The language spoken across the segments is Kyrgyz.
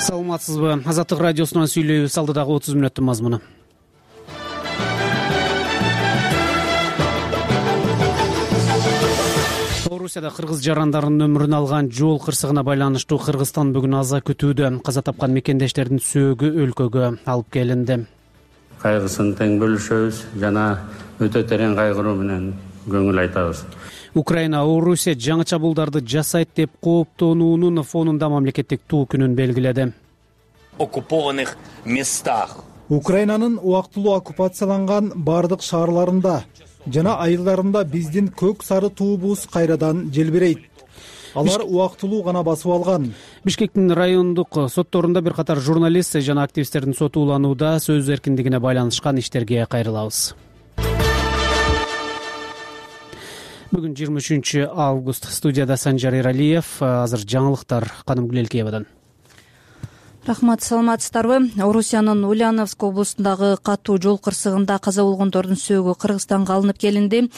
Саламатсызбы? Азаттык радиосунан сүйлөйбүз. Алдыдагы 30 мүнөттүн мазмуну. Орусияда кыргыз жарандарынын өмүрүн алган жол кырсыгына байланыштуу Кыргызстан бүгүн аза күтүүдө. Каза тапкан мекендештердин сөөгү өлкөгө алып келинди. Кайгысын тең бөлүшөбүз жана өтө терең кайгыруу менен көңүл айтабыз. Украина Орусия жаңы чабуулдарды жасайт деп кооптонуунун фонунда мамлекеттик туу күнүн белгиледи. Оккупованных местах. Украинанын убактылуу оккупацияланган бардык шаарларында жана айылдарында биздин көк сары туубуз кайрадан желбирейт. Алар убактылуу гана басып алган. Бишкектин райондук сотторунда бир катар журналист жана активисттердин соту уланууда. Сөз эркиндигине байланышкан иштерге кайрылабыз. Бүгүн 23 август. Студияда Санжар Эралиев. Азыр жаңылыктар Каным Гүлелкеевадан. Рахмат, саламатсыздарбы? Орусиянын Ульяновск облусундагы катуу жол кырсыгында каза болгондордун сөөгү Кыргызстанга алынып келинди.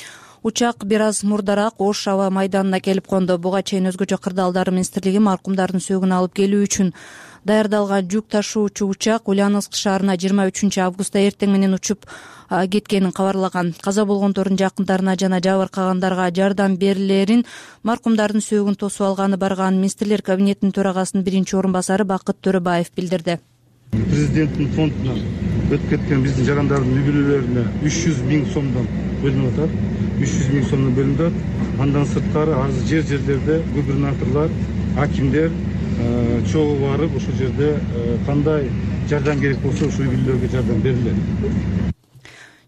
Учак бир аз мурдараак Ош аба майданына келип конду. Буга чейин өзгөчө кырдаалдар министрлиги маркумдардын сөөгүн алып келүү үчүн даярдалган жүк ташуучу учак Ульяновск шаарына 23 августта эртең менен учуп кеткенин кабарлаган. Каза болгондордун жакындарына жана жабыркагандарга жардам берилерин маркумдардын сөөгүн тосуп алганы барган министрлер кабинетинин төрагасынын биринчи орун басары Бакыт Төрөбаев билдирди. Президенттин фондунан өтүп кеткен биздин жарандардын үй бүлөлөрүнө 300 000 сомдон бөлүнүп атат. 300 000 сомдон бөлүнүп атат. Андан сырткары арыз жерлерде губернаторлор, акимдер чогуу барып ошол жерде кандай жардам керек болсо ошол үй бүлөлөргө жардам берилет.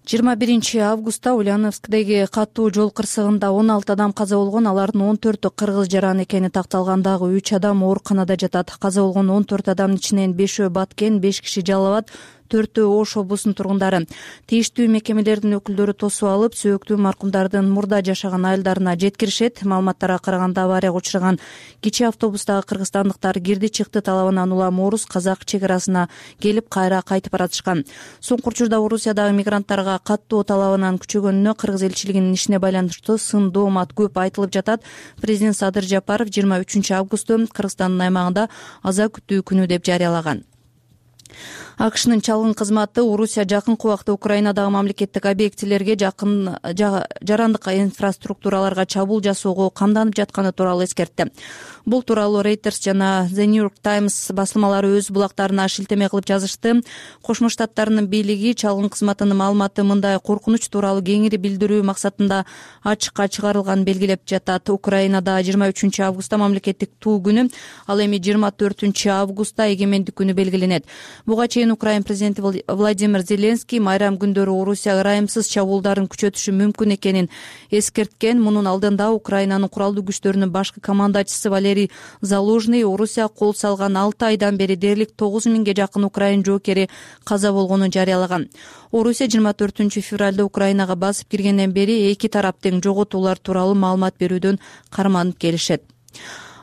21 августта Ульяновскдеги катуу жол кырсыгында 16 адам каза болгон, алардын 14-ü кыргыз жаран экени такталган. Дагы 3 адам ооруканада жатат. Каза болгон 14 адамдын ичинен 5-өө Баткен, 5 киши Жалал Абад, 4-өө Ош облусунун тургундары. Тийиштүү мекемелердин өкүлдөрү тосуп алып, сөөктүү маркумдардын мурда жашаган айылдарына жеткиришет. Маалыматтарга караганда аварияга учураган кичи автобустагы кыргызстандыктар кирди-чыкты талабынан улам орус-казак чек арасына келип кайра кайтып баратышкан. Соңку учурда Орусиядагы мигранттарга каттуу талабынан күчөгөнүнө кыргыз элчилигинин ишине байланыштуу сын доомат көп айтылып жатат. Президент Садыр Жапаров 23 августту Кыргызстандын аймагында аза күтүү күнү деп жарыялаган. АКШнын чалгын кызматы Орусия жакынкы убакта Украинадагы мамлекеттик объектилерге жарандык инфраструктураларга чабуул жасоого камданып жатканы тууралуу эскертти. Бул тууралуу Reuters жана The New York Times басылмалары өз булактарына шилтеме кылып жазышты. Кошмо Штаттарынын бийлиги чалгын кызматынын маалыматы мындай коркунуч тууралуу кеңири билдирүү максатында ачыкка чыгарылганын белгилеп жатат. Украинада 23 августта мамлекеттик туу күнү, ал эми 24 августта эгемендик күнү белгиленет. Буга чейин Украин президенти Владимир Зеленский майрам күндөрү Орусия ырайымсыз чабуулдарын күчөтүшү мүмкүн экенин эскерткен. Мунун алдында Украинанын куралдуу күчтөрүнүн башкы командачысы Валерий Залужный Орусия кол салган 6 айдан бери дээрлик 9000ге жакын украин жоокери каза болгонун жарыялаган. Орусия 24 февралда Украинага басып киргенден бери эки тарап тең жоготуулар тууралуу маалымат берүүдөн карманып келишет.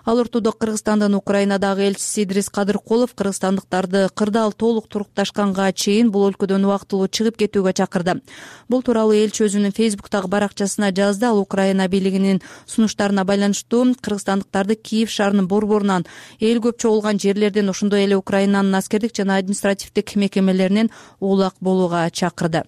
Ал ортодо Кыргызстандын Украинадагы элчиси Идрис Кадыркулов кыргызстандыктарды кырдаал толук турукташканга чейин бул өлкөдөн убактылуу чыгып кетүүгө чакырды. Бул тууралуу элчи өзүнүн Фейсбуктагы баракчасына жазды. Ал Украина бийлигинин сунуштарына байланыштуу кыргызстандыктарды Киев шаарынын борборунан эл көп чогулган жерлерден, ошондой эле Украинанын аскердик жана административдик мекемелеринен улак болууга чакырды.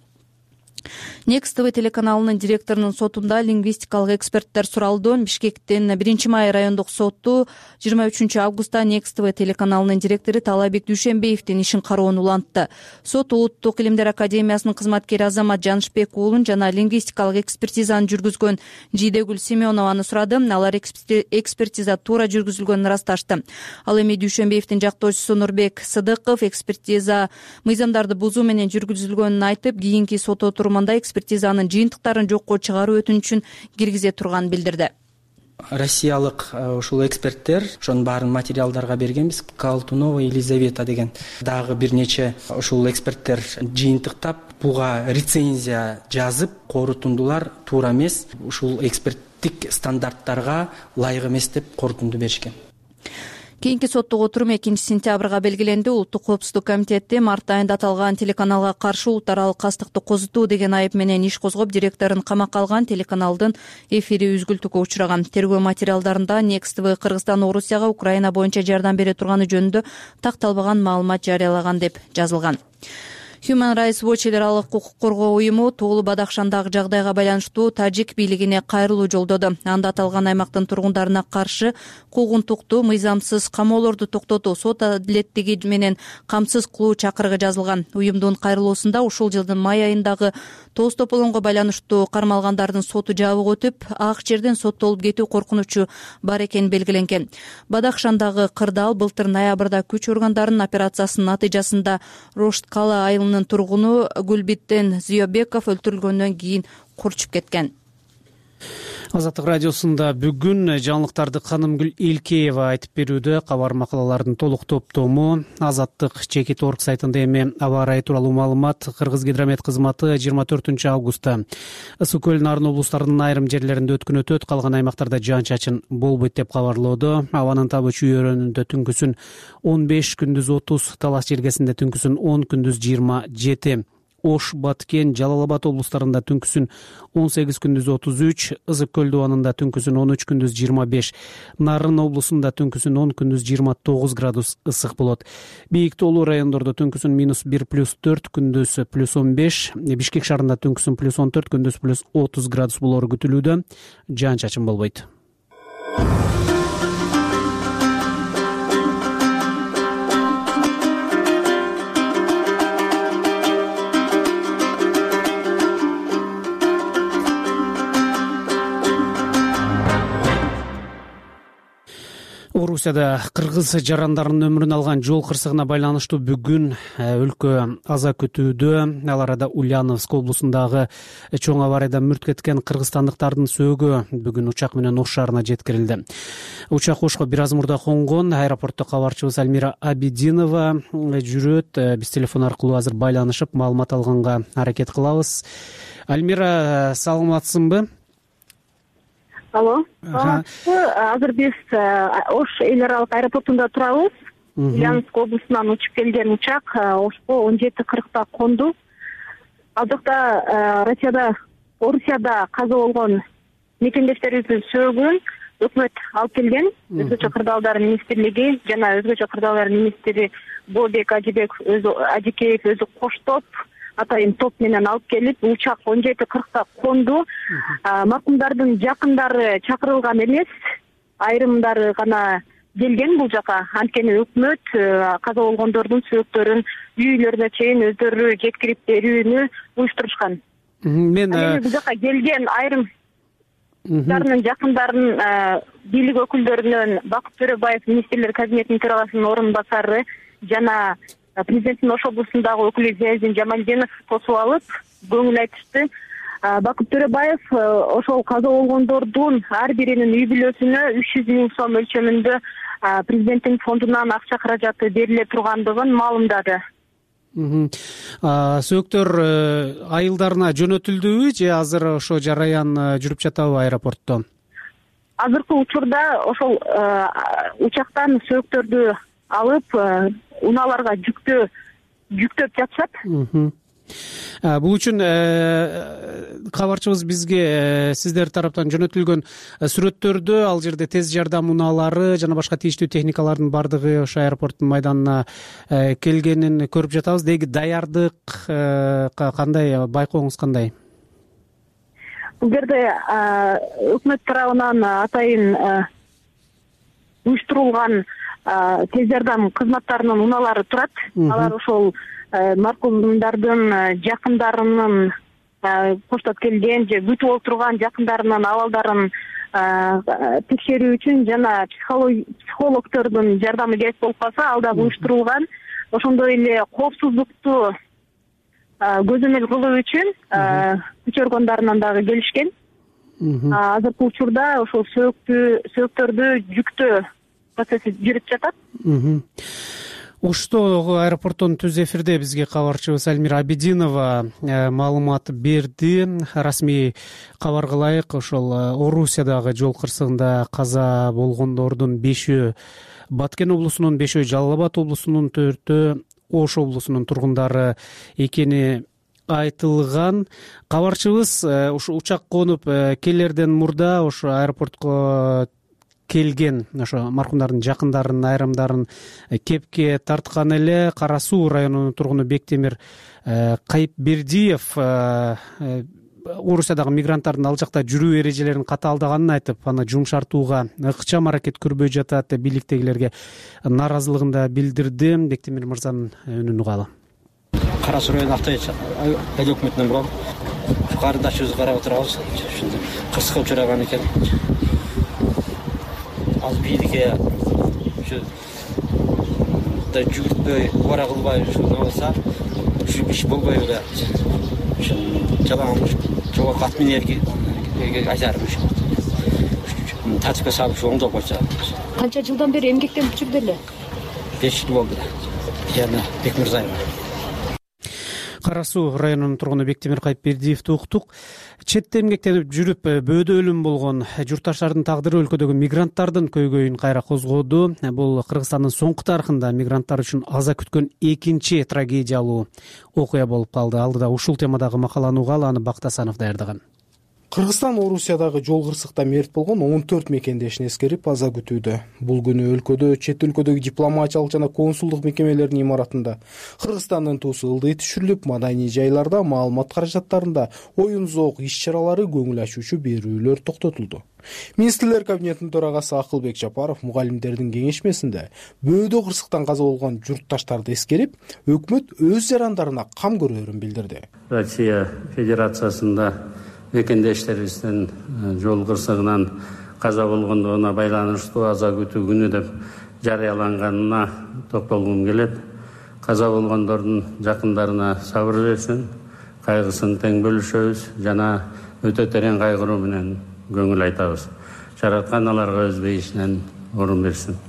Next TV телеканалынын директорунун сотунда лингвистикалык эксперттер суралды. Бишкектин 1 май райондук соту 23 августта Next TV телеканалынын директору Талабек Дүйшөнбеевдин ишин кароонун улантты. Сот Улуттук илимдер академиясынын кызматкери Азамат Жанышбек уулун жана лингвистикалык экспертизаны жүргүзгөн Жидегүл Семенованы сурады. Алар экспертиза туура жүргүзүлгөнүн ырасташты. Ал эми Дүйшөнбеевдин жактоочусу Нурбек Сыдыков экспертиза мыйзамдарды бузуу менен жүргүзүлгөнүн айтып, кийинки сот отурумунда экспертизанын жыйынтыктарын жокко чыгаруу өтүнүчүн киргизе турганын билдирди. Россиялык ушул эксперттер ошонун баарын материалдарга бергенбиз. Колтунова Елизавета деген дагы бир нече ушул эксперттер жыйынтыктап буга рецензия жазып, корутундулар туура эмес, ушул эксперттик стандарттарга ылайык эмес деп корутунду беришкен. Кийинки соттук отурум 2-сентябрга белгиленди. Улуттук коопсуздук комитети март айында аталган телеканалга каршы улут аралык кастыкты козутуу деген айып менен иш козгоп, директорун камакка алган. Телеканалдын эфири үзгүлтүүгө учураган. Тергөө материалдарында Next TV Кыргызстан Орусияга Украина боюнча жардам бере турганы жөнүндө такталбаган маалымат жарыялаган деп жазылган. Human Rights Watch эл аралык укук коргоо уюму Тоолу Бадахшандагы жагдайга байланыштуу тажик бийлигине кайрылуу жолдоду. Анда аталган аймактын тургундарына каршы куугунтукту, мыйзамсыз камоолорду токтотуу, сот адилеттиги менен камсыз кылуу чакырыгы жазылган. Уюмдун кайрылуусунда ушул жылдын май айындагы Тоос тополоңго байланыштуу кармалгандардын соту жабык өтүп, ак жерден соттолуп кетүү коркунучу бар экени белгиленген. Бадахшандагы кырдаал былтыр ноябрда күч органдарынын операциясынын натыйжасында Рошткала айылынын тургуну Гүлбиттен Зүйөбеков өлтүрүлгөндөн кийин курчуп кеткен. Азаттык радиосунда бүгүн жаңылыктарды Канымгүл Элкеева айтып берүүдө. Кабар макалалардын толук топтому Азаттык чекит орг сайтында эми аба ырайы тууралуу маалымат. Кыргызгидромет кызматы 24 августта Ысык көл Нарын облустарынын айрым жерлеринде өткөн өтөт, калган аймактарда жаан-чачын болбойт деп кабарлоодо. Абанын табы чүйөрөнүндө түнкүсүн 15, күндүз 30, Талас жергесинде түнкүсүн 10, күндүз 27. Ош, Баткен, Жалал Абад облустарында түнкүсүн 18, күндүз 33, Ысык көл дубанында түнкүсүн 13, күндүз 25, Нарын облусунда түнкүсүн 10, күндүз 29 градус ысык болот. Бийик тоолуу райондордо түнкүсүн -1+4, күндүз +15, Бишкек шаарында түнкүсүн +14, күндүз +30 градус болору күтүлүүдө. Жаан-чачын болбойт. Орусияда кыргыз жарандарынын өмүрүн алган жол кырсыгына байланыштуу бүгүн өлкө аза күтүүдө. Ал арада Ульяновск облусундагы чоң аварияда мүрт кеткен кыргызстандыктардын сөөгү бүгүн учак менен Ош шаарына жеткирилди. Учак Ошко бир аз мурда конгон. Аэропортто кабарчыбыз Альмира Абидинова жүрөт. Биз телефон аркылуу азыр байланышып маалымат алганга аракет кылабыз. Альмира, саламатсыңбы? Алло, азыр биз Ош эл аралык аэропортунда турабыз. Ульяновск облусунан учуп келген учак Ошко 17:40 конду. Ал жакта Орусияда каза болгон мекендештерибиздин сөөгүн өкмөт алып келген. Өзгөчө кырдаалдар министрлиги жана өзгөчө кырдаалдар министри Бообек Ажикеев өзү коштоп атайын топ менен алып келип, учак 17:40 конду. Маркумдардын жакындары чакырылган эмес, айрымдары гана келген бул жака. Анткени өкмөт каза болгондордун сөөктөрүн үй бүлөлөрүнө чейин өздөрү жеткирип берүүнү уюштурушкан. Бул жака келген айрымдарынын жакындарын бийлик өкүлдөрүнөн Бакыт Төрөбаев министрлер кабинетинин төрагасынын орун басары жана президенттин Ош облусундагы өкүлү Зиязидин Жамалдинов тосуп алып, көңүл айтышты. Бакыт Төрөбаев ошол каза болгондордун ар биринин үй бүлөсүнө 300 миң сом өлчөмүндө президенттин фондунан акча каражаты бериле тургандыгын маалымдады. Сөөктөр айылдарына жөнөтүлдүбү же азыр ошо жараян жүрүп жатабы аэропортто? Азыркы учурда ошол учактан сөөктөрдү алып унааларга жүктөп жатышат. Бул үчүн кабарчыбыз бизге сиздер тараптан жөнөтүлгөн сүрөттөрдү, ал жерде тез жардам унаалары жана башка тийиштүү техникалардын бардыгы ошо аэропорттун майданына келгенин көрүп жатабыз. Деги даярдык кандай, байкооңуз кандай? Бул жерде өкмөт тарабынан атайын уюштурулган тез жардам кызматтарынын унаалары турат. Алар ошол маркумдардын жакындарынын коштоп келген же күтүп отурган жакындарынын абалдарын текшерүү үчүн жана психологдордун жардамы керек болуп калса ал да уюштурулган. Ошондой эле коопсуздукту көзөмөл кылуу үчүн күч органдарынан дагы келишкен. Азыркы учурда ошол сөөктөрдү жүктөө процесси жүрүп жатат. Оштогу аэропорттун түз эфирде бизге кабарчыбыз Альмира Абидинова маалымат берди. Расмий кабар кылайык, ошол Орусиядагы жол кырсыгында каза болгондордун 5-өө Баткен облусунун 5-өө, Жалал Абад облусунун 4-өө, Ош облусунун тургундары экени айтылган. Кабарчыбыз ушу учак конуп келерден мурда ошо аэропортко келген ошо маркумдардын жакындарынын айрымдарын кепке тарткан эле. Кара Суу районунун тургуну Бектемир Кайыпбердиев Орусиядагы мигранттардын ал жакта жүрүү эрежелерин катаалдаганын айтып, аны жумшартууга ыкчам аракет көрбөй жатат деп бийликтегилерге нааразылыгын да билдирди. Бектемир мырзанын үнүн угалы. Кара Суу району Актай айыл өкмөтүнөн бурун кардашыбызды карап отурабыз. Ушундай кырсыкка учураган экен. Ал бийликке ушу да жүгүртпөй, убара кылбай ушуну алса, ушу иш болбой эле. Жалаң жогорку ат минерге айтарым ушу. Тартипке салып оңдоп койсо. Канча жылдан бери эмгектенип жүрдү эле? 5 жыл болду. Жана Бекмырзаева. Кара Суу районунун тургуну Бектемир Кайыпбердиевди уктук. Четте эмгектенип жүрүп бөөдө өлүм болгон журтташтардын тагдыры өлкөдөгү мигранттардын көйгөйүн кайра козгоду. Бул Кыргызстандын соңку тарыхында мигранттар үчүн аза күткөн экинчи трагедиялуу окуя болуп калды. Алдыда ушул темадагы макаланы угалы, аны Бактасанов даярдаган. Кыргызстан Орусиядагы жол кырсыкта мерт болгон 14 мекендешин эскерип аза күтүүдө. Бул күнү өлкөдө чет өлкөдөгү дипломатиялык жана консулдук мекемелердин имаратында Кыргызстандын туусу ылдый түшүрүлүп, маданий жайларда, маалымат каражаттарында оюн-зоок иш-чаралары, көңүл ачуучу берүүлөр токтотулду. Министрлер кабинетинин төрагасы Акылбек Жапаров мугалимдердин кеңешмесинде бөөдө кырсыктан каза болгон журтташтарды эскерип, өкмөт өз жарандарына кам көрөрүн билдирди. Россия Федерациясында мекендештерибиздин жол кырсыгынан каза болгондугуна байланыштуу аза күтүү күнү деп жарыяланганына токтолгум келет. Каза болгондордун жакындарына сабыр берсин, кайгысын тең бөлүшөбүз жана өтө терең кайгыруу менен көңүл айтабыз. Жараткан аларга өз бейишинен орун берсин.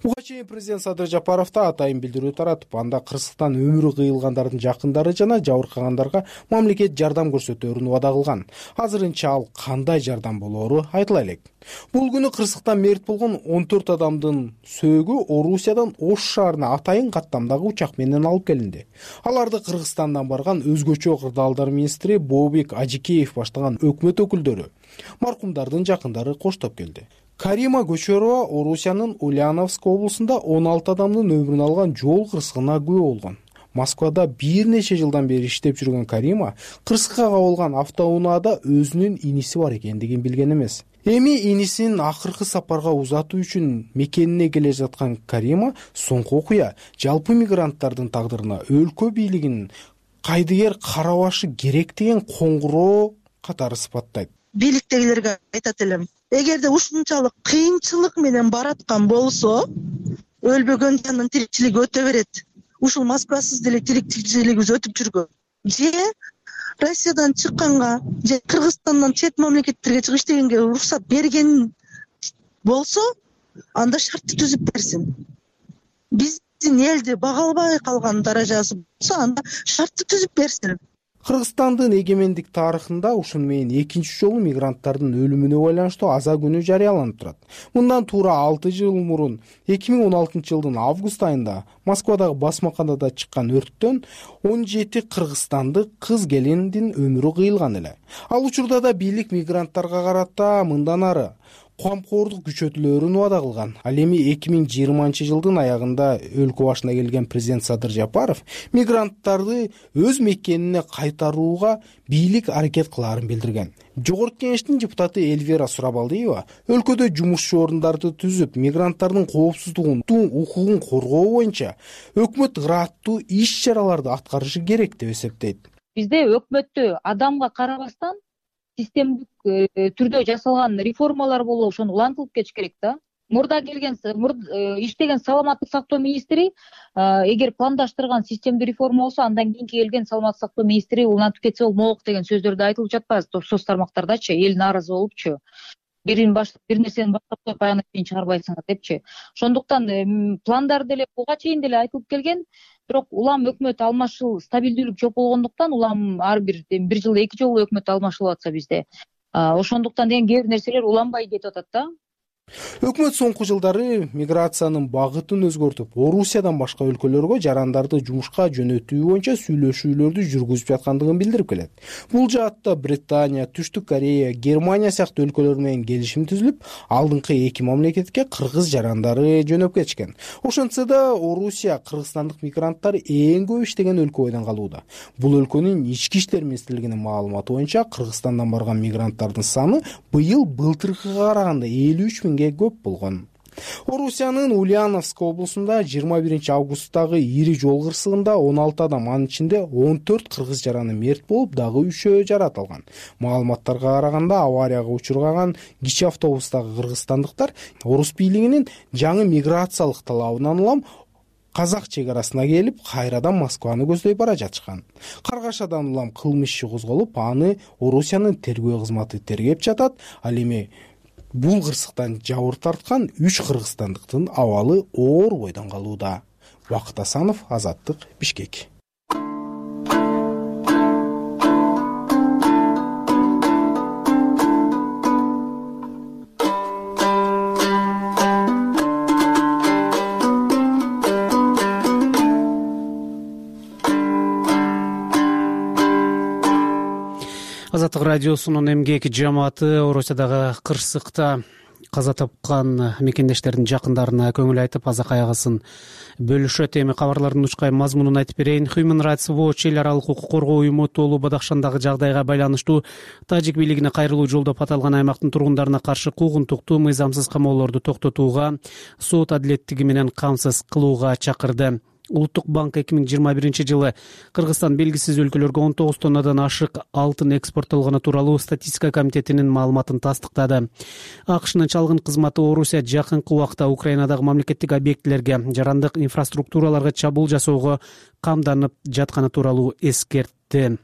Буга чейин президент Садыр Жапаров да атайын билдирүү таратып, анда кырсыктан өмүрү кыйылгандардын жакындары жана жабыркагандарга мамлекет жардам көрсөтөөрүн убада кылган. Азырынча ал кандай жардам болоору айтыла элек. Бул күнү кырсыктан мерт болгон 14 адамдын сөөгү Орусиядан Ош шаарына атайын каттамдагы учак менен алып келинди. Аларды Кыргызстандан барган өзгөчө кырдаалдар министри Бообек Ажикеев баштаган өкмөт өкүлдөрү, маркумдардын жакындары коштоп келди. Карима Көчөрова Орусиянын Ульяновск облусунда 16 адамдын өмүрүн алган жол кырсыгына күбө болгон. Москвада бир нече жылдан бери иштеп жүргөн Карима кырсыкка кабылган автоунаада өзүнүн иниси бар экендигин билген эмес. Эми инисин акыркы сапарга узатуу үчүн мекенине келе жаткан Карима соңку окуя жалпы мигранттардын тагдырына өлкө бийлигинин кайдыгер карабашы керек деген коңгуроо катары сыпаттайт. Бийликтегилерге айтат элем, эгерде ушунчалык кыйынчылык менен бараткан болсо, өлбөгөн жандын тиричилиги өтө берет. Ушул Москвасыз деле тиричилигибиз өтүп жүргөн. Же Россиядан чыкканга, же Кыргызстандан чет мамлекеттерге чыгып иштегенге уруксат берген болсо, анда шартты түзүп берсин. Биздин элди бага албай калган даражасы болсо, анда шартты түзүп берсин. Кыргызстандын эгемендик тарыхында ушун менен экинчи жолу мигранттардын өлүмүнө байланыштуу аза күнү жарыяланып турат. Мындан туура 6 жыл мурун 2016 жылдын август айында Москвадагы басмаканада чыккан өрттөн 17 кыргызстандык кыз келиндин өмүрү кыйылган эле. Ал учурда да бийлик мигранттарга карата мындан ары камкордук күчөтүлөөрүн убада кылган. Ал эми 2020 жылдын аягында өлкө башына келген президент Садыр Жапаров мигранттарды өз мекенине кайтарууга бийлик аракет кылаарын билдирген. Жогорку кеңештин депутаты Эльвира Сурабалдиева өлкөдө жумушчу орундарды түзүп, мигранттардын коопсуздугун, укугун коргоо боюнча өкмөт ыраттуу иш-чараларды аткарышы керек деп эсептейт. Бизде өкмөттө адамга карабастан системдик түрдө жасалган реформалар болуп, ошону улантылып кетиш керек да. Мурда келген, иштеген саламаттык сактоо министри эгер пландаштырган системдик реформа болсо, андан кийинки келген саламаттык сактоо министри улантып кетсе болмок деген сөздөрдү айтылып жатпайбы соц тармактардачы, эл нааразы болупчу. Бир нерсени баштап коюп аягына чейин чыгарбайсыңар депчи. Ошондуктан пландар деле буга чейин деле айтылып келген, бирок улам өкмөт алмашыл, стабилдүүлүк жок болгондуктан улам ар бир жылда 2 жолу өкмөт алмашылып атса бизде. Ошондуктан деген кээ бир нерселер уланбай кетип атат да. Өкмөт соңку жылдары миграциянын багытын өзгөртүп, Орусиядан башка өлкөлөргө жарандарды жумушка жөнөтүү боюнча сүйлөшүүлөрдү жүргүзүп жаткандыгын билдирип келет. Бул жаатта Британия, Түштүк Корея, Германия сыяктуу өлкөлөр менен келишим түзүлүп, алдыңкы эки мамлекетке кыргыз жарандары жөнөп кетишкен. Ошентсе да Орусия кыргызстандык мигранттар эң көп иштеген өлкө бойдон калууда. Бул өлкөнүн ички иштер министрлигинин маалыматы боюнча Кыргызстандан барган мигранттардын саны быйыл былтыркыга караганда 53 миңге көп болгон. Орусиянын Ульяновск облусунда 21 августтагы ири жол кырсыгында 16 адам, анын ичинде 14 кыргыз жараны мерт болуп, дагы 3-өө жаратылган. Маалыматтарга караганда аварияга учурган кичи автобустагы кыргызстандыктар орус бийлигинин жаңы миграциялык талабынан улам казак чек арасына келип, кайрадан Москваны көздөй бара жатышкан. Каргашадан улам кылмыш иши козголуп, аны Орусиянын тергөө кызматы тергеп жатат. Ал эми бул кырсыктан жабыр тарткан 3 кыргызстандыктын абалы оор бойдон калууда. Бакыт Асанов, Азаттык, Бишкек. Азаттык радиосунун эмгек жамааты Орусиядагы кырсыкта каза тапкан мекендештердин жакындарына көңүл айтып, азак аягысын бөлүшөт. Эми кабарлардын учкай мазмунун айтып берейин. Human Rights Watch эл аралык укук коргоо уюму Тоолу Бадахшандагы жагдайга байланыштуу тажик бийлигине кайрылуу жолдоп аталган аймактын тургундарына каршы куугунтуктуу, мыйзамсыз камоолорду токтотууга, сот адилеттиги менен камсыз кылууга чакырды. Улуттук банк 2021 Кыргызстан белгисиз өлкөлөргө 19 тоннадан ашык алтын экспорттолгону тууралуу статистика комитетинин маалыматын тастыктады. АКШнын чалгын кызматы Орусия жакынкы убакта Украинадагы мамлекеттик объектилерге, жарандык инфраструктураларга чабуул жасоого камданып жатканы тууралуу эскертти.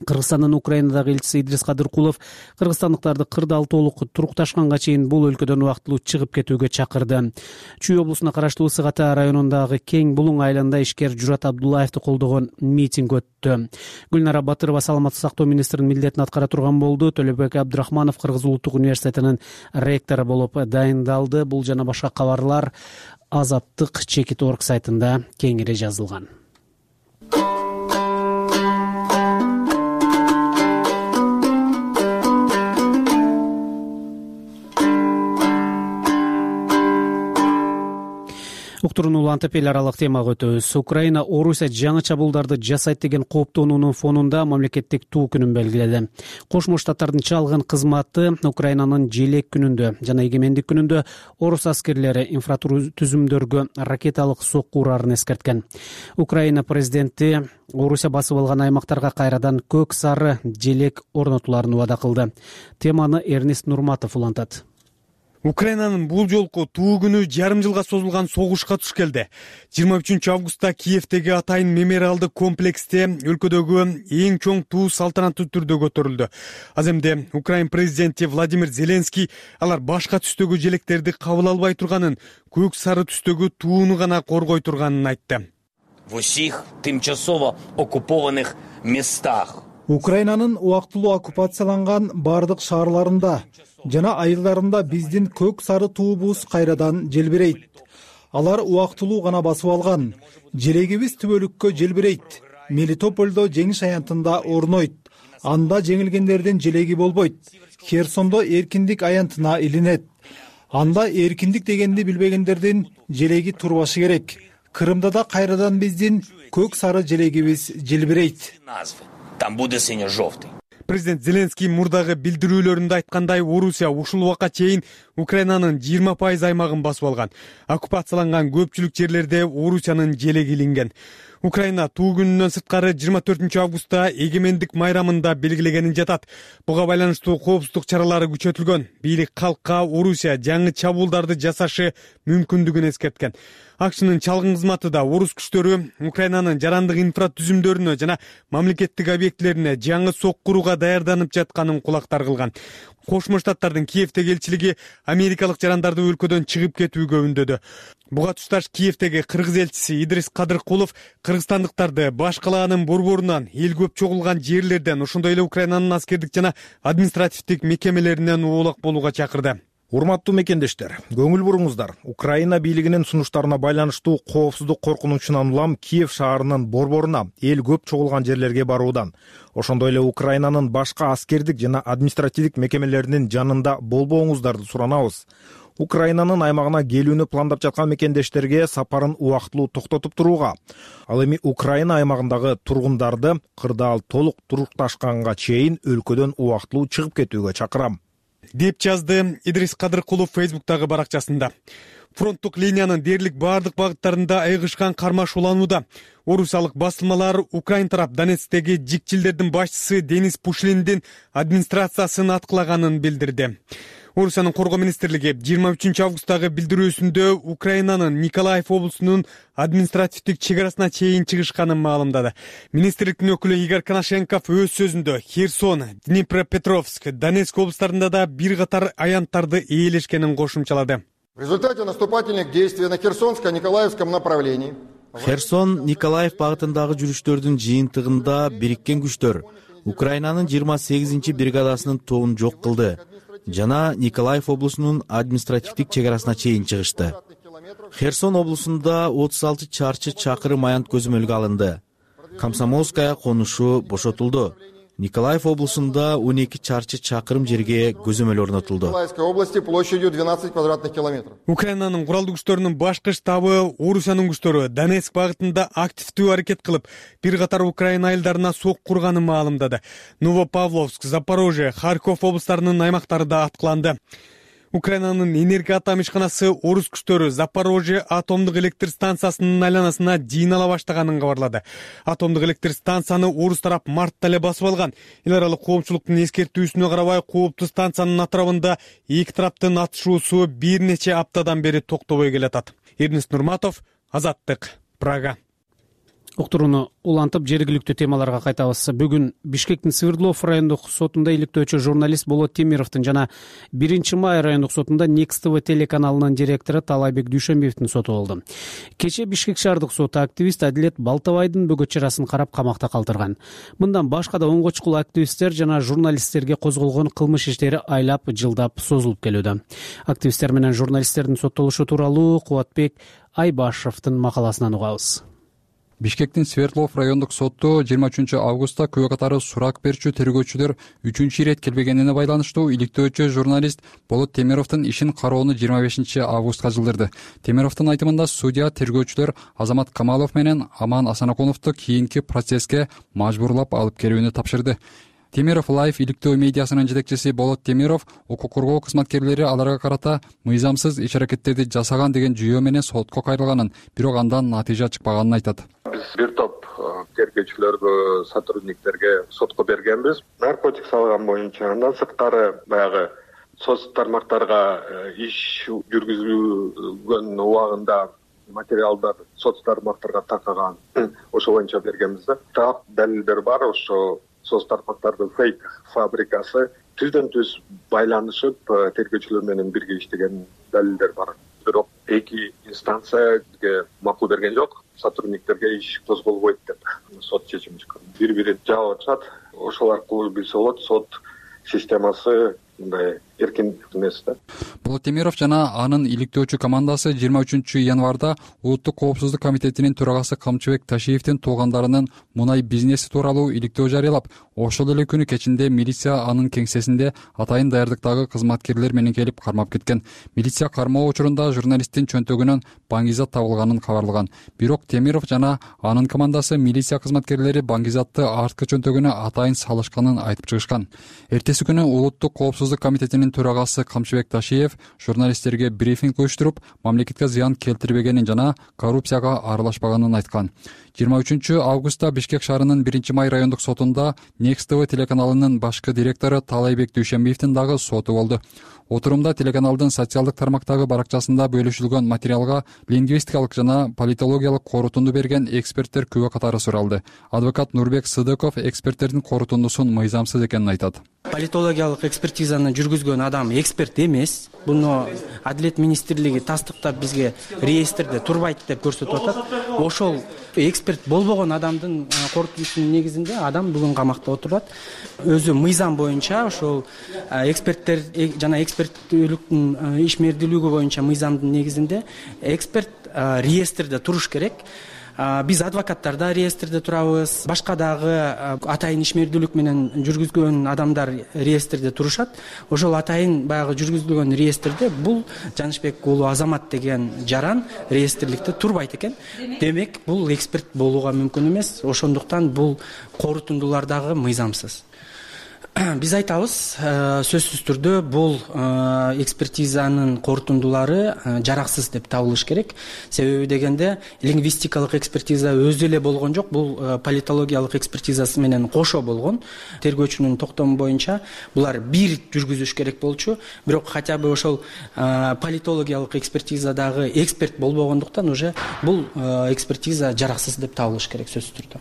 Кыргызстандын Украинадагы элчиси Идрис Кадыркулов кыргызстандыктарды кырдаал толук турукташканга чейин бул өлкөдөн убактылуу чыгып кетүүгө чакырды. Чүй облусуна караштуу Сыгата районундагы Кең Булуң айылында ишкер Журат Абдуллаевди колдогон митинг өттү. Гүлнара Батырова саламаттык сактоо министринин милдетин аткара турган болду. Төлөбек Абдрахманов Кыргыз улуттук университетинин ректору болуп дайындалды. Бул жана башка кабарлар Азаттык Чекит.org сайтында кеңири жазылган. Уктурууну улантып эл аралык темага өтөбүз. Украина Орусия жаңы чабуулдарды жасайт деген кооптонуунун фонунда мамлекеттик туу күнүн белгиледи. Кошмо Штаттардын чалгын кызматы Украинанын желек күнүндө жана эгемендик күнүндө орус аскерлери инфратүзүмдөргө ракеталык сокку урарын эскерткен. Украина президенти Орусия басып алган аймактарга кайрадан көк сары желек орнотуларын убада кылды. Теманы Эрнест Нурматов улантат. Украинанын бул жолку туу күнү жарым жылга созулган согушка туш келди. 23 августта Киевдеги атайын мемориалдык комплексте өлкөдөгү эң чоң туу салтанаттуу түрдө көтөрүлдү. Аз эмне Украин президенти Владимир Зеленский алар башка түстөгү желектерди кабыл албай турганын, көк сары түстөгү тууну гана коргой турганын айтты. В усіх тимчасово оккупованных местах. Украинанын убактылуу оккупацияланган бардык шаарларында жана айылдарында биздин көк сары туубуз кайрадан желбирейт. Алар убактылуу гана басып алган. Желегибиз түбөлүккө желбирейт. Мелитопольдо жеңиш аянтында орнойт. Анда жеңилгендердин желеги болбойт. Херсондо эркиндик аянтына илинет. Анда эркиндик дегенди билбегендердин желеги турбашы керек. Крымда да кайрадан биздин көк сары желегибиз желбирейт. Там буде сине-жовтый. Президент Зеленский мурдагы билдирүүлөрүндө айткандай, Орусия ушул убакка чейин Украинанын 20% аймагын басып алган. Оккупацияланган көпчүлүк жерлерде Орусиянын желеги илинген. Украина туу күнүнөн сырткары 24 августта эгемендик майрамында белгилегенин жатат. Буга байланыштуу коопсуздук чаралары күчөтүлгөн. Бийлик калкка Орусия жаңы чабуулдарды жасашы мүмкүндүгүн эскерткен. АКШнын чалгын кызматы да орус күчтөрү Украинанын жарандык инфратүзүмдөрүнө жана мамлекеттик объектилерине жаңы сокку курууга даярданып жатканын кулактар кылган. Кошмо Штаттардын Киевдеги элчилиги америкалык жарандарды өлкөдөн чыгып кетүүгө үндөдү. Буга тушташ Киевдеги кыргыз элчиси Идрис Кадыркулов кыргызстандыктарды баш калаанын борборунан, эл көп чогулган жерлерден, ошондой эле Украинанын аскердик жана административдик мекемелеринен оолак болууга чакырды. Урматтуу мекендештер, көңүл буруңуздар. Украина бийлигинин сунуштарына байланыштуу коопсуздук коркунучунан улам Киев шаарынын борборуна эл көп чогулган жерлерге баруудан, ошондой эле Украинанын башка аскердик жана административдик мекемелеринин жанында болбооңуздарды суранабыз. Украинанын аймагына келүүнү пландап жаткан мекендештерге сапарын убактылуу токтотуп турууга, ал эми Украина аймагындагы тургундарды кырдаал толук турукташканга чейин өлкөдөн убактылуу чыгып кетүүгө чакырам, деп жазды Идрис Кадыркулов Фейсбуктагы баракчасында. Фронттук линиянын дээрлик баардык багыттарында айгышкан кармаш уланууда. Орусиялык басылмалар Украин тарап Донецктеги жикчилдердин башчысы Денис Пушлиндин администрациясын аткылаганын билдирди. Орусиянын коргоо министрлиги 23 августтагы билдирүүсүндө Украинанын Николаев облусунун административдик чек арасына чейин чыгышканын маалымдады. Министрликтин өкүлү Игорь Коношенков өз сөзүндө Херсон, Днепропетровск, Донецк облустарында да бир катар аянттарды ээлешкенин кошумчалады. В результате наступательных действий на Херсонско-Николаевском направлении Херсон, Николаев багытындагы жүрүштөрдүн жыйынтыгында бириккен күчтөр Украинанын 28 бригадасынын тобун жок кылды жана Николаев облусунун административдик чек арасына чейин чыгышты. Херсон облусунда 36 чарчы чакырым аянт көзөмөлгө алынды. Комсомольская конушу бошотулду. Николаев облусунда 12 чарчы чакырым жерге көзөмөл орнотулду. Николаевской области площадью 12 квадратных километров. Украинанын куралдуу күчтөрүнүн башкы штабы Орусиянын күчтөрү Донецк багытында активдүү аракет кылып, бир катар Украина айылдарына сок курганын маалымдады. Новопавловск, Запорожье, Харьков облустарынын аймактары да аткыланды. Украинанын энергоатом ишканасы орус күчтөрү Запорожье атомдук электр станциясынын айланасына жыйнала баштаганын кабарлады. Атомдук электр станцияны орус тарап мартта эле басып алган. Эл аралык коопчулуктун эскертүүсүнө карабай, кооптуу станциянын атырабында эки тараптын атышуусу бир нече аптадан бери токтобой келатат. Эрнест Нурматов, Азаттык, Прага. Уктурууну улантып, жергиликтүү темаларга кайтабыз. Бүгүн Бишкектин Свердлов райондук сотунда иликтөөчү журналист Болот Темировдун жана 1-май райондук сотунда Next TV телеканалынын директору Талайбек Дүйшөнбиевдин соту болду. Кечээ Бишкек шаардык соту активист Адилет Балтабайдын бөгөт чарасын карап камакта калтырган. Мындан башка да онго чукул активисттер жана журналисттерге козголгон кылмыш иштери айлап жылдап созулуп келүүдө. Активисттер менен журналисттердин соттолушу тууралуу Кубатбек Айбашевдин макаласынан угабыз. Бишкектин Свердлов райондук соту 23 августта күбө катары сурак берүүчү тергөөчүлөр 3-чү ирет келбегенине байланыштуу иликтөөчү журналист Болот Темировдун ишин кароону 25 августка жылдырды. Темировдун айтымында судья тергөөчүлөр Азамат Камалов менен Аман Асанакуновду кийинки процесске мажбурлап алып келүүнү тапшырды. Темиров Лайф иликтөө медиасынын жетекчиси Болот Темиров укук коргоо кызматкерлери аларга карата мыйзамсыз иш-аракеттерди жасаган деген жүйөө менен сотко кайрылганын, бирок андан натыйжа чыкпаганын айтат. Биз бир топ тергөөчүлөргө, сотрудниктерге сотко бергенбиз. Наркотик салган боюнча, андан сырткары баягы соц тармактарга иш жүргүзүлгөн убагында материалдар соц тармактарга такаган, ошо боюнча бергенбиз да. Так далилдер бар, ошо соц тармактардын фейк фабрикасы түздөн-түз байланышып тергөөчүлөр менен бирге иштеген далилдер бар. Бирок эки инстанцияга макул берген жок, сотрудниктерге иш козголбойт деп сот чечим чыккан. Бири-бирин жаап атышат, ошол аркылуу билсе болот, сот системасы мындай эркин эмес да. Болот Темиров жана анын иликтөөчү командасы 23 январда Улуттук коопсуздук комитетинин төрагасы Камчыбек Ташиевдин туугандарынын мунай бизнеси тууралуу иликтөө жарыялап, ошол эле күнү кечинде милиция анын кеңсесинде атайын даярдыктагы кызматкерлер менен келип кармап кеткен. Милиция кармоо учурунда журналисттин чөнтөгүнөн баңгизат табылганын кабарлаган. Бирок Темиров жана анын командасы милиция кызматкерлери баңгизатты арткы чөнтөгүнө атайын салышканын айтып чыгышкан. Эртеси күнү Улуттук коопсуздук комитетинин төрагасы Камчыбек Ташиев журналисттерге брифинг уюштуруп, мамлекетке зыян келтирбегенин жана коррупцияга аралашпаганын айткан. 23 августта Бишкек шаарынын 1-май райондук сотунда Next TV телеканалынын башкы директору Талайбек Дүйшөнбиевдин дагы соту болду. Отурумда телеканалдын социалдык тармактагы баракчасында бөлүшүлгөн материалга лингвистикалык жана политологиялык корутунду берген эксперттер күбө катары суралды. Адвокат Нурбек Сыдыков эксперттердин корутундусун мыйзамсыз экенин айтат. Политологиялык экспертизаны жүргүзгөн адам эксперт эмес. Буну Адилет министрлиги тастыктап бизге реестрде турбайт деп көрсөтүп атат. Ошол эксперт болбогон адамдын корутуусунун негизинде адам бүгүн камакта отурат. Өзү мыйзам боюнча ошол эксперттер жана эксперттүүлүктүн ишмердүүлүгү боюнча мыйзамдын негизинде эксперт реестрде туруш керек. Биз адвокаттар да реестрде турабыз, башка дагы атайын ишмердүүлүк менен жүргүзгөн адамдар реестрде турушат. Ошол атайын баягы жүргүзүлгөн реестрде бул Жанышбек уулу Азамат деген жаран реестрликте турбайт экен. Демек, бул эксперт болууга мүмкүн эмес. Ошондуктан бул корутундулар дагы мыйзамсыз. Биз айтабыз, сөзсүз түрдө бул экспертизанын корутундулары жараксыз деп табылыш керек. Себеби дегенде лингвистикалык экспертиза өзү эле болгон жок, бул политологиялык экспертизасы менен кошо болгон. Тергөөчүнүн токтому боюнча булар бир жүргүзүш керек болчу, бирок хотя бы ошол политологиялык экспертизадагы эксперт болбогондуктан уже бул экспертиза жараксыз деп табылыш керек сөзсүз түрдө.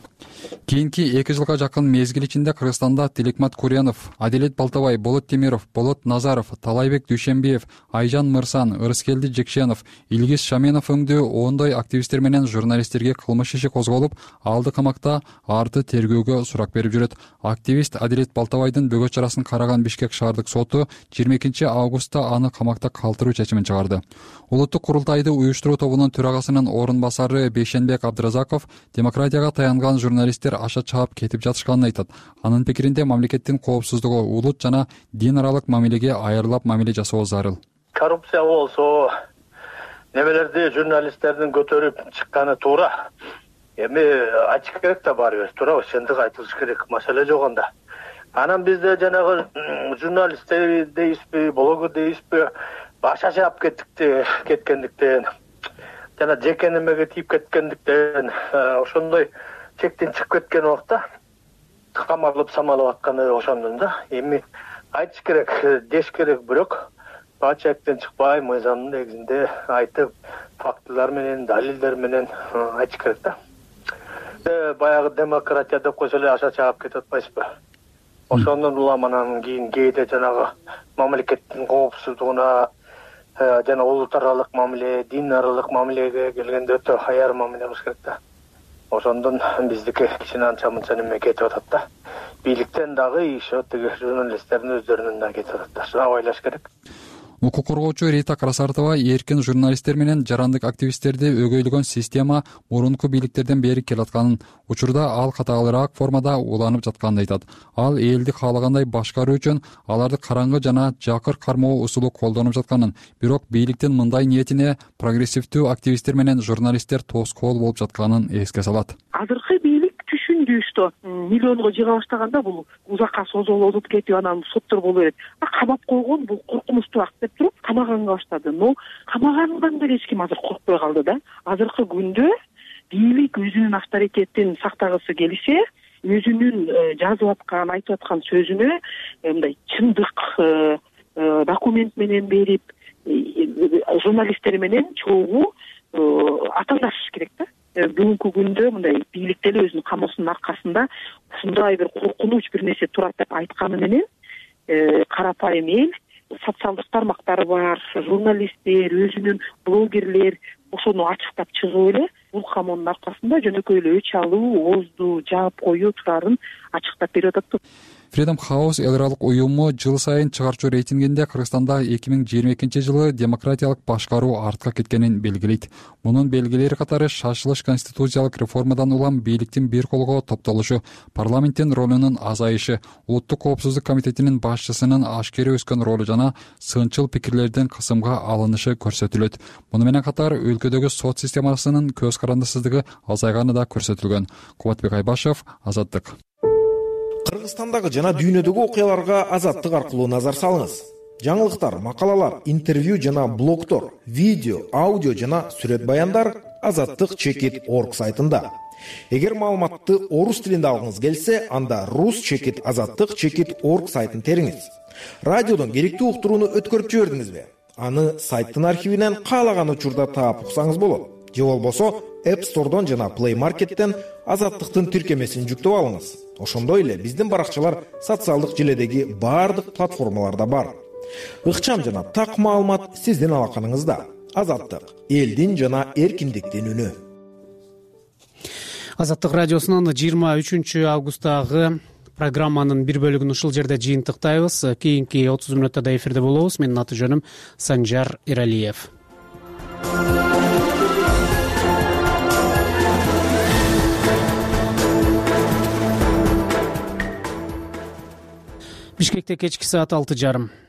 Кийинки 2 жылга жакын мезгил ичинде Кыргызстанда Тиликмат Курьянов, Адилет Балтабай, Болот Темиров, Болот Назаров, Талайбек Дүйшенбиев, Айжан Мырсан, Ырыскелди Жекшенов, Илгиз Шаменов өңдүү ондой активисттер менен журналисттерге кылмыш иши козголуп, алды камакта, арты тергөөгө сурак берип жүрөт. Активист Адилет Балтабайдын бөгөт чарасын караган Бишкек шаардык соту 22 августта аны камакта калтыруу чечимин чыгарды. Улуттук курултайды уюштуруу тобунун төрагасынын орун басары Бейшенбек Абдыразаков демократияга таянган журналисттер аша чаап кетип жатышканын айтат. Анын пикиринде мамлекеттин коопсуздугу, улут жана дин аралык мамилеге айырылап мамиле жасоо зарыл. Коррупция болсо, немелерди журналисттердин көтөрүп чыкканы туура. Эми ачык керек да баарыбыз, туурабы? Чындык айтылыш керек, маселе жок анда. Анан бизде жанагы журналисттер дейбизби, блогер дейбизби, баша чаап кеткендиктен жана жеке немеге тийип кеткендиктен ошондой чектен чыгып кеткен убакта камалып самалап атканы ошондон да. Эми айтыш керек, деш керек, бирок баа чектен чыкпай мыйзамдын негизинде айтып, фактылар менен, далилдер менен айтыш керек да. Баягы демократия деп койсо эле аша чаап кетип атпайсызбы? Ошондон улам анан кээде жанагы мамлекеттин коопсуздугуна жана улут аралык мамиле, дин аралык мамилеге келгенде өтө аяр мамиле кылыш керек да. Ошондон биздики кичине анча-мынча неме кетип атат да. Бийликтен дагы иши тиги журналисттердин өздөрүнөн да кетип атат да. Шуну ойлош керек. Укук коргоочу Рита Красартова эркин журналисттер менен жарандык активисттерди өгөйлөгөн система мурунку бийликтерден бери келатканын, учурда ал катагылыраак формада уланып жатканын айтат. Ал элди каалагандай башкаруу үчүн аларды караңгы жана жакыр кармоо усулу колдонуп жатканын, бирок бийликтин мындай ниетине прогрессивдүү активисттер менен журналисттер тоскоол болуп жатканын эске салат. Азыркы бийлик түшүндү, что миллионго жыга баштаганда бул узакка созолонуп кетип анан соттор боло берет. Камап койгон бул коркунучтуу акт деп туруп камаганга баштады. Но камагандан деле эч ким азыр коркпой калды да. Азыркы күндө бийлик өзүнүн авторитетин сактагысы келсе, өзүнүн жазып аткан, айтып аткан сөзүнө мындай чындык документ менен берип, журналисттер менен чогуу атаандашыш керек да. Бүгүнкү күндө мындай бийлик деле өзүнүн камоосунун аркасында ушундай бир коркунуч бир нерсе турат деп айтканы менен карапайым эл, социалдык тармактар бар, журналисттер, өзүнүн блогерлер ошону ачыктап чыгып эле бул камоонун аркасында жөнөкөй эле өч алуу, оозду жаап коюу турарын ачыктап берип атат. Freedom House эл аралык уюму жыл сайын чыгарчу рейтингинде Кыргызстанда 2022 жылы демократиялык башкаруу артка кеткенин белгилейт. Мунун белгилери катары шашылыш конституциялык реформадан улам бийликтин бир колго топтолушу, парламенттин ролунун азайышы, улуттук коопсуздук комитетинин башчысынын ашкере өскөн ролу жана сынчыл пикирлердин кысымга алынышы көрсөтүлөт. Муну менен катар өлкөдөгү сот системасынын көз карандысыздыгы азайганы да көрсөтүлгөн. Кубатбек Айбашев, Азаттык. Кыргызстандагы жана дүйнөдөгү окуяларга Азаттык аркылуу назар салыңыз. Жаңылыктар, макалалар, интервью жана блогтор, видео, аудио жана сүрөт баяндар azattik.org сайтында. Эгер маалыматты орус тилинде алгыңыз келсе, анда rus.azattik.org сайтын териңиз. Радиодон керектүү уктурууну өткөрүп жибердиңизби? Аны сайттын архивинен каалаган учурда таап уксаңыз болот. Же болбосо App Store'дон жана Play Market'тен Азаттыктын тиркемесин жүктөп алыңыз. Ошондой эле биздин баракчалар социалдык желедеги баардык платформаларда бар. Ыкчам жана так маалымат сиздин алаканыңызда. Азаттык — элдин жана эркиндиктин үнү. Азаттык радиосунун 23 августтагы программанын бир бөлүгүн ушул жерде жыйынтыктайбыз. Кийинки 30 мүнөттө эфирде болобуз. Менин аты жөнүм Санжар Эралиев. Бишкекте кечки саат 6:30.